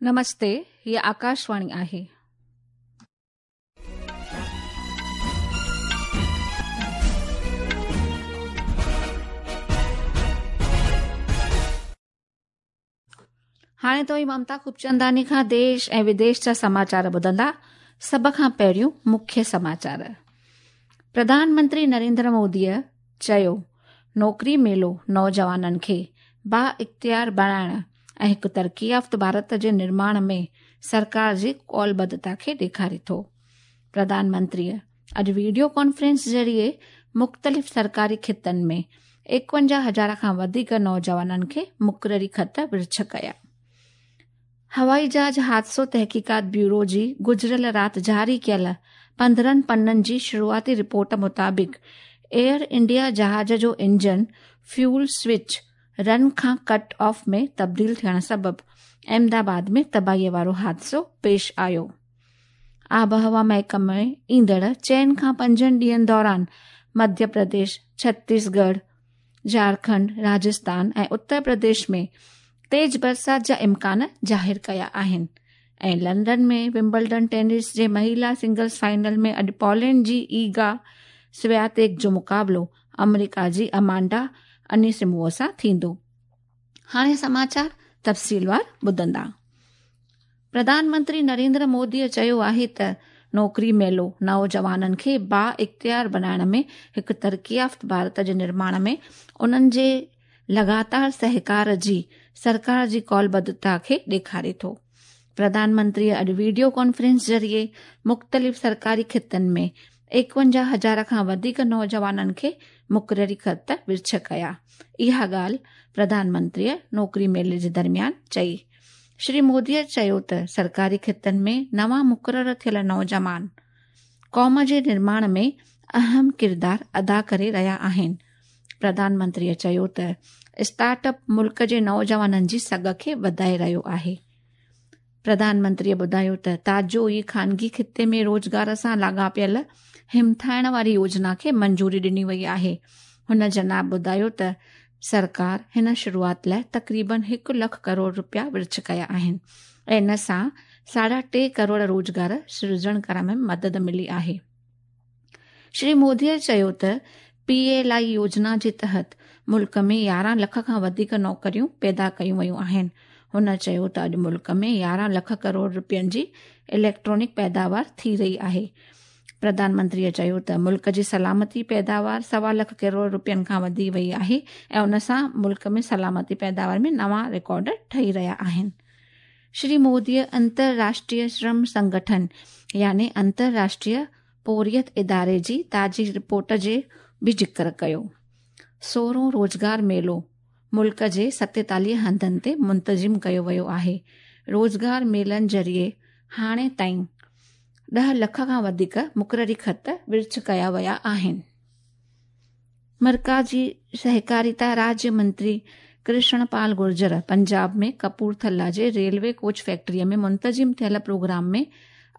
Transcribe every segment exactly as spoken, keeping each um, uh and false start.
नमस्ते, हीअ आकाशवाणी आहे. हाणे तव्हीं ममता खूबचंदानी खां देश ऐं विदेश जा समाचार ॿुधंदा. सभ खां पहिरियों मुख्य समाचार. प्रधानमंत्री नरेंद्र मोदीअ चयो, नौकिरी मेलो नौजवाननि खे बा इख़्तियार बणाइण ऐं हिकु तरक़ी याफ़्त भारत जे निर्माण में सरकार जी कौलबद्धता खे ॾेखारे थो. प्रधानमंत्रीअ अॼु वीडियो कॉन्फ्रेंस ज़रिए मुख़्तलिफ़ सरकारी खितनि में एकवंजाह हज़ार खां वधीक नौजवाननि खे मुक़ररी ख़त विर्छ कया. हवाई जहाज़ हादसो तहक़ीक़ात ब्यूरो जी गुज़िरियल राति जारी कयल पंद्रहं पन्ननि जी शुरूआती रिपोर्ट मुताबिक़ एयर इंडिया जहाज़ जो इंजन फ्यूल स्विच रन खां कट ऑफ में तब्दील थियण सबबि अहमदाबाद में तबाहीअ वारो हादसो पेश आयो. आबहवा महकमे ईंदड़ चइनि खां पंजनि ॾींहंनि दौरान मध्य प्रदेश, छत्तीसगढ़, झारखंड, राजस्थान ऐं उत्तर प्रदेश में तेज़ बरसात जा इम्कान ज़ाहिर कया आहिनि. ऐं लंदन में विम्बलडन टेनिस जे महिला सिंगल्स फाइनल में अॼु पोलैंड जी ईगा स्वियातेक जो मुक़ाबिलो अमेरिका जी अमांडा अनिसिमोवा सां थींदो. हाणे समाचार तफ़सीलवार ॿुधंदा. प्रधानमंत्री नरेंद्र मोदीअ चयो आहे त नौकिरी मेलो नौजवाननि खे बा इख़्तियार बणाइण में हिकु तरक़ी याफ़्त भारत जे निर्माण में उन्हनि जे लगातार सहकार जी सरकार जी कौलबद्धता खे ॾेखारे थो. प्रधानमंत्रीअ अॼु वीडियो कॉन्फ्रेंस ज़रिए मुख़्तलिफ़ सरकारी खितनि में एकवंजाह हज़ार खां वधीक नौजवाननि खे मुक़ररी ख़त विर्छ कया. इहा ॻाल्हि प्रधानमंत्रीअ नौकिरी मेले जे दरमियान चई. श्री मोदीअ चयो त सरकारी खितनि में नवां मुक़रर थियल नौजवान क़ौम जे निर्माण में अहम किरदार अदा करे रहिया आहिनि. प्रधानमंत्रीअ चयो त स्टार्टअप मुल्क जे नौजवाननि जी सघ खे वधाए रहियो आहे. प्रधानमंत्रीअ ॿुधायो त ताज़ो ई ख़ानगी खिते में रोज़गार सां लाॻापियल हिमथाइण वारी योजना खे मंजूरी ॾिनी वई आहे. हुन जनाब ॿुधायो त सरकार हिन शुरूआत लाइ तक़रीबन हिकु लख करोड़ रुपया विर्छ कया आहिनि ऐं इन सां साढा टे करोड़ रोज़गार सिरजण करण में मदद मिली आहे. श्री मोदीअ चयो त पी एल I योजना जे तहत मुल्क में यारहं लख खां वधीक नौकरियूं पैदा कयूं वयूं आहिनि. हुन चयो त अॼु मुल्क में यारहं लख करोड़ रुपयनि जी इलेक्ट्रॉनिक पैदावार थी रही आहे. प्रधानमंत्रीअ चयो त मुल्क जी सलामती पैदावार सवा लख करोड़ रुपयनि खां वधी वई आहे ऐं उन सां मुल्क में सलामती पैदावार में नवां रिकॉर्ड ठही रहिया आहिनि. श्री मोदीअ अंतरराष्ट्रीय श्रम संगठन यानी अंतरराष्ट्रीय पोरियत इदारे जी ताज़ी रिपोर्ट जे बि ज़िक्र कयो. सोरहों रोज़गार मेलो मुल्क जे सतेतालीह हंधनि ते मुंतज़िम कयो वियो आहे. रोज़गार मेलनि ज़रिए हाणे ताईं ॾह लख खां वधीक मुक़ररी ख़त विर्छ कया विया आहिनि. मरकज़ी सहकारिता राज्य मंत्री कृष्णपाल गुर्जर पंजाब में कपूरथला जे रेलवे कोच फैक्ट्रीअ में मुंतज़िम थियल प्रोग्राम में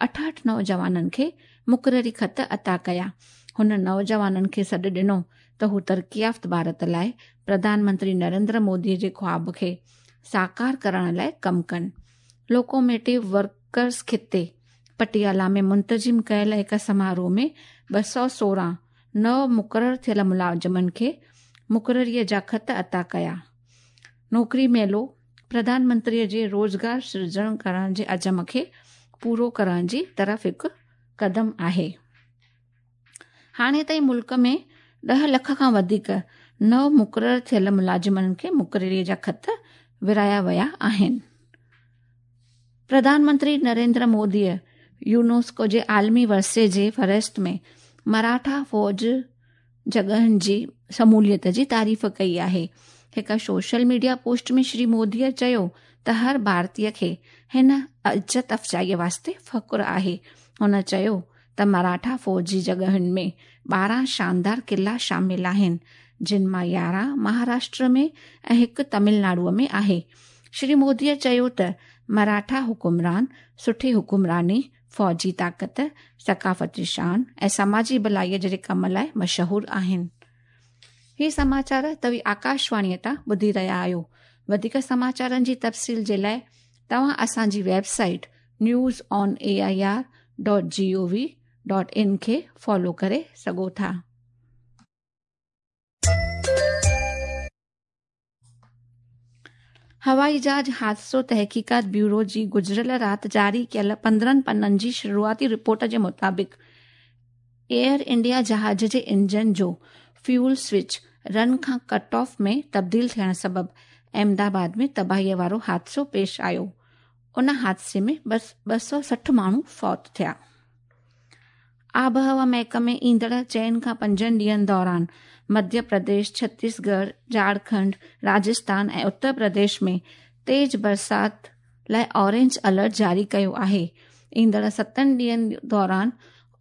अठहठि नौजवाननि खे मुक़ररी ख़त अता कया. हुन नौजवाननि खे सॾु ॾिनो त हू तरक़ी याफ़्त भारत लाइ प्रधानमंत्री नरेंद्र मोदीअ जे ख़्वाब खे साकार करण लाइ कमु कनि. लोकोमोटिव वर्कर्स खिते पटियाला में मुंतज़िम कयल हिकु समारोह में ॿ सौ सोरहं नव मुक़रर थियल मुलाज़िमनि खे मुक़ररीअ जा ख़त अता कया. नौकिरी मेलो प्रधानमंत्रीअ जे रोज़गार सिरजण करण जे अज़म खे पूरो करण जी तरफ़ हिकु क़दम आहे. हाणे ताईं मुल्क में ॾह लख खां वधीक नव मुक़रर थियल मुलाज़िमनि खे मुक़ररीअ जा ख़त विराया विया आहिनि. प्रधानमंत्री नरेंद्र मोदीअ यूनेस्को जे आलमी विरसे जे फ़हरिस्त में मराठा फ़ौज जॻहनि जी शमूलियत जी तारीफ़ कई आहे. हिकु सोशल मीडिया पोस्ट में श्री मोदीअ चयो त हर भारतीय खे हिन इज़त अफ़ज़ाईअ वास्ते फ़ख्रु आहे. हुन चयो त मराठा फ़ौजी जॻहनि में ॿारहं शानदार किला शामिल आहिनि, जिन मां यारहं महाराष्ट्र में ऐं हिकु तमिलनाडुअ में आहे. श्री मोदीअ चयो त मराठा हुकुमरान सुठी हुकुमरानी, फ़ौजी ताक़त, सकाफ़ती शान ऐं समाजी भलाईअ जहिड़े कम लाइ मशहूर आहिनि. ही समाचार तव्हीं आकाशवाणीअ तां ॿुधी रहिया आहियो. वधीक समाचारनि जी तफ़सील जे लाइ तव्हां असांजी website news on A I R dot G O V dot in खे फॉलो करे सघो था। हवाई जहाज़ हादसो तहक़ीक़ात ब्यूरो जी गुज़िरियल राति जारी कयल पंद्रहं पन्ननि जी शुरूआती रिपोर्ट जे मुताबिक़ एयर इंडिया जहाज़ जे इंजन जो फ्यूल स्विच रन खां कट ऑफ में तब्दील थियण सबबि अहमदाबाद में तबाहीअ वारो हादसो पेश आयो। उन हादसे में ॿ सौ सठि माण्हू फौत थिया। आबहवा महकमे ईंदड़ चइनि खां पंजनि ॾींहंनि दौरान मध्य प्रदेश, छत्तीसगढ़, झारखंड, राजस्थान ऐं उत्तर प्रदेश में तेज़ बरसात लाइ ऑरेंज अलर्ट जारी कयो आहे। ईंदड़ सतनि ॾींहंनि दौरान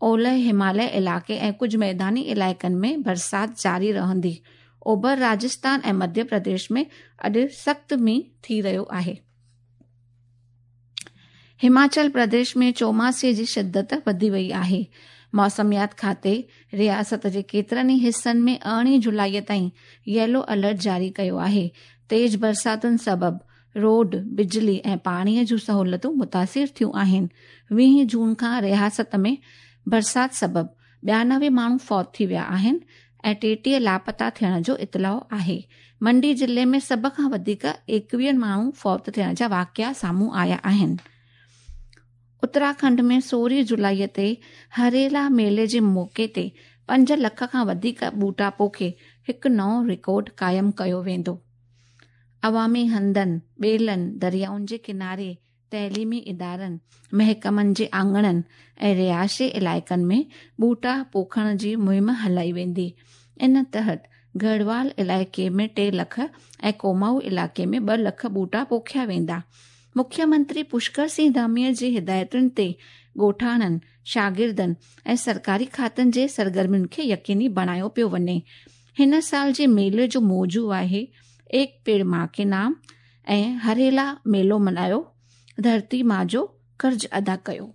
ओलह हिमालय इलाइक़े ऐं कुझु मैदानी इलाइक़नि में बरसात जारी रहंदी। ओभर राजस्थान ऐं मध्य प्रदेश में अॼु सख़्तु मींहुं थी रहियो आहे। हिमाचल प्रदेश में चौमासे जी शिद्दत वधी वई आहे। मौसमियात खाते रियासत जे केतिरनि ई हिसनि में अरिड़हीं जुलाई ताईं येलो अलर्ट जारी कयो आहे। तेज़ बरसातुनि सबबि रोड, बिजली ऐं पाणीअ जूं सहूलियतूं मुतासिर थियूं आहिनि। वीह जून खां रियासत में बरसात सबबि ॿियानवे माण्हू फौत थी विया आहिनि ऐं टेटीह लापता थियण जो इतलाउ आहे। मंडी ज़िले में सभ खां वधीक एकवीह माण्हू फौत थियण जा वाक़िआ साम्हूं आया आहिनि। उत्तराखंड में सोरहं जुलाई ते हरेला मेले जे मौक़े ते पंज लख खां वधीक ॿूटा पोखे हिकु नओं रिकॉर्ड क़ाइमु कयो वेंदो। अवामी हंधनि, ॿेलनि, दरियाउनि जे किनारे, तइलीमी इदारनि, महकमनि जे आङणनि ऐं रिहाइशी इलाइक़नि में ॿूटा पोखण जी मुहिम हलाई वेंदी। इन तहत गढ़वाल इलाइक़े में टे लख ऐं कोमाऊ इलाइक़े में ॿ लख ॿूटा पोखिया वेंदा। मुख्यमंत्री पुष्कर सिंह धामीअ जी हिदायतुनि ते ॻोठाणनि, शागिर्दनि ऐं सरकारी खातनि जे सरगर्मियुनि खे यकीनी बणायो पियो वञे। हिन साल जे मेले जो मौज़ू आहे एक पेड़ मां के नाम ऐं हरेला मेलो मल्हायो, धरती मां जो कर्ज़ अदा कयो।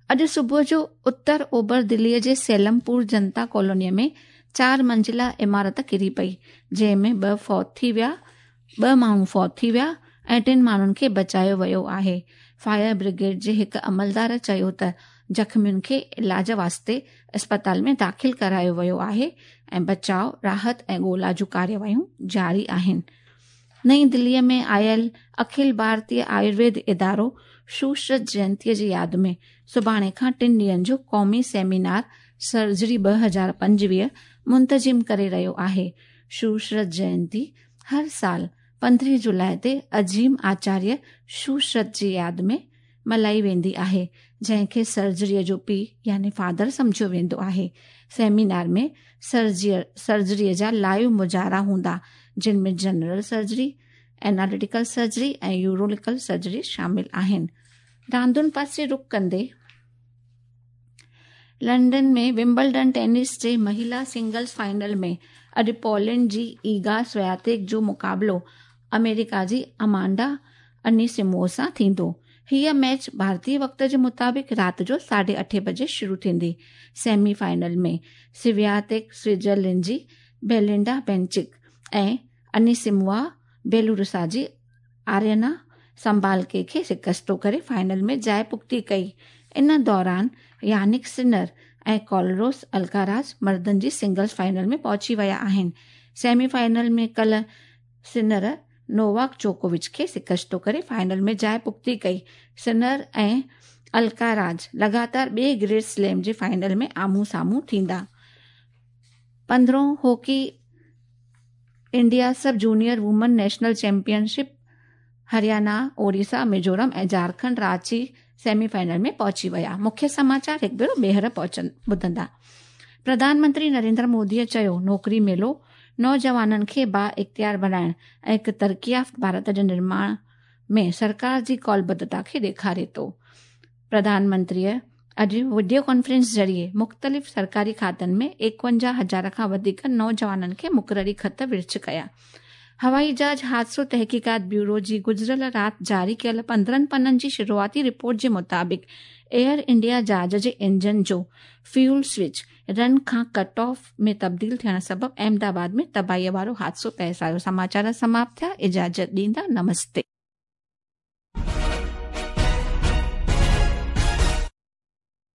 अॼु सुबुह जो उत्तर ओभर दिल्लीअ जे सेलमपुर जनता कॉलोनीअ में चार मंज़िला इमारत किरी पई, जंहिं में ॿ फौत थी विया, ॿ माण्हू फौत थी विया ऐं टिनि माण्हुनि खे बचायो वियो आहे। फायर ब्रिगेड जे हिकु अमलदार चयो त ज़ख़्मियुनि खे इलाज वास्ते अस्पताल में दाख़िल करायो वियो आहे ऐं बचाव, राहत ऐं ॻोल्हा जूं कार्यवाहियूं जारी आहिनि। नई दिल्लीअ में आयल अखिल भारतीय आयुर्वेद इदारो सुश्रुत जयंतीअ जी यादि में सुभाणे खां टिनि ॾींहंनि जो क़ौमी सेमिनार सर्जरी ॿ हज़ार पंजवीह मुंतज़िम करे रहियो आहे। सुश्रुत जयंती हर साल पंद्रहं जुलाई ते अज़ीम आचार्य सुश्रुत जी यादि में मल्हाई वेंदी आहे, जंहिंखे सर्जरीअ जो पीउ यानी फादर सम्झियो वेंदो आहे। सेमिनार में सर्जरी सर्जरीअ जा लाइव मुज़ाहिरा हूंदा, जिन में जनरल सर्जरी, एनालिटिकल सर्जरी ऐं यूरोलिकल सर्जरी शामिल आहिनि। रांदुनि पासे रुख कंदे लंदन में विम्बलडन टेनिस जे महिला सिंगल्स फाइनल में अॼु पोलैंड जी ईगा स्वियातेक जो मुक़ाबिलो अमेरिका जी अमांडा अनीसिमोवा सां थींदो। हीअ मैच भारतीय वक़्त जे मुताबिक़ राति जो साढे अठे बजे शुरू थींदी। सेमी फाइनल में स्वियातेक स्विट्ज़रलैंड जी बेलिंडा बेंचिक ऐं अनीसिमोवा बेलारूस जी आर्यना संबालके खे शिकस्तो करे फाइनल में जाइ पुख़्ती कई। इन दौरान यानिक सिनर ऐं कॉलरोस अल्काराज़ मर्दनि जी सिंगल्स फाइनल में पहुची विया आहिनि। सेमी फाइनल में कल्ह सिनर नोवाक जोकोविच खे शिकस्तो करे फाइनल में जाइ पुख़्ती कई। सिनर ऐं अल्काराज़ लगातार ॿिए ग्रेंड स्लैम जे फाइनल में आम्हूं साम्हूं थींदा। पंद्रहों hockey India sub junior women national championship Haryana, Odisha, Mizoram ऐं झारखंड रांची सेमीफाइनल में पहुची विया। मुख्य समाचार हिकु भेरो ॿीहर पहुचनि ॿुधंदा। प्रधानमंत्री नरेंद्र मोदीअ चयो, नौकिरी मेलो नौजवाननि खे बा इख़्तियार बणाइण ऐं हिकु तरक़ी याफ़्त भारत जे निर्माण में सरकार जी कौलबद्धता खे ॾेखारे थो। प्रधानमंत्रीअ अॼु वीडियो कॉन्फ्रेंस ज़रिए मुख़्तलिफ़ सरकारी खातनि में एकवंजाह हज़ार खां वधीक नौजवाननि खे मुक़ररी ख़त विर्छ कया। हवाई जहाज़ हादसो तहक़ीक़ात ब्यूरो जी गुज़िरियल राति जारी कयल पंद्रहं पन्ननि जी शुरूआती रिपोर्ट जे मुताबिक़ एयर इंडिया जहाज़ जे इंजन जो फ्यूल स्विच रन खां कट ऑफ में तब्दील थियण सबबि अहमदाबाद में तबाहीअ वारो हादसो पेश आयो। समाचार समाप्त थिया। इजाज़त ॾींदा। नमस्ते।